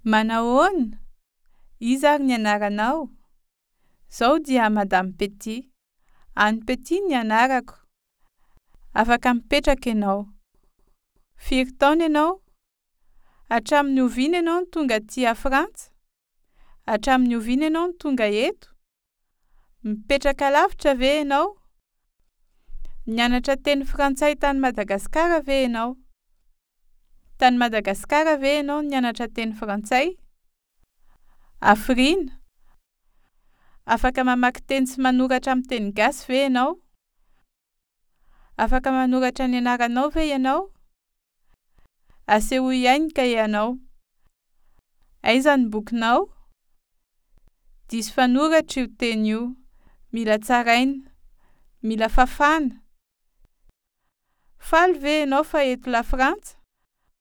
Manahoana? Iza ary ny anaranao? Zaho dia Madame Petit. Anne Petit ny anarako. Afaka mipetraka ianao. Firy taona ianao? Hatramin'ny oviana ianao no tonga aty a Frantsa? Hatramin'ny oviana ianao no tonga eto? Mipetraka lavitra ve ianao? Nianatra teny frantsay tany Madagasikara ve ianao? Tany Madagasikara ve ianao no nianatra teny frantsay? Hafiriana? Afaka mamaky teny sy manoratra amin'ny teny gasy ve ianao? Afaka manoratra ny anaranao ve ianao? Asehoy ahy ny kahianao. Aiza ny bokinao? Diso fanoratra io teny io. Mila tsaraina. Mila fafana. Faly ve ianao fa eto Lafrantsa?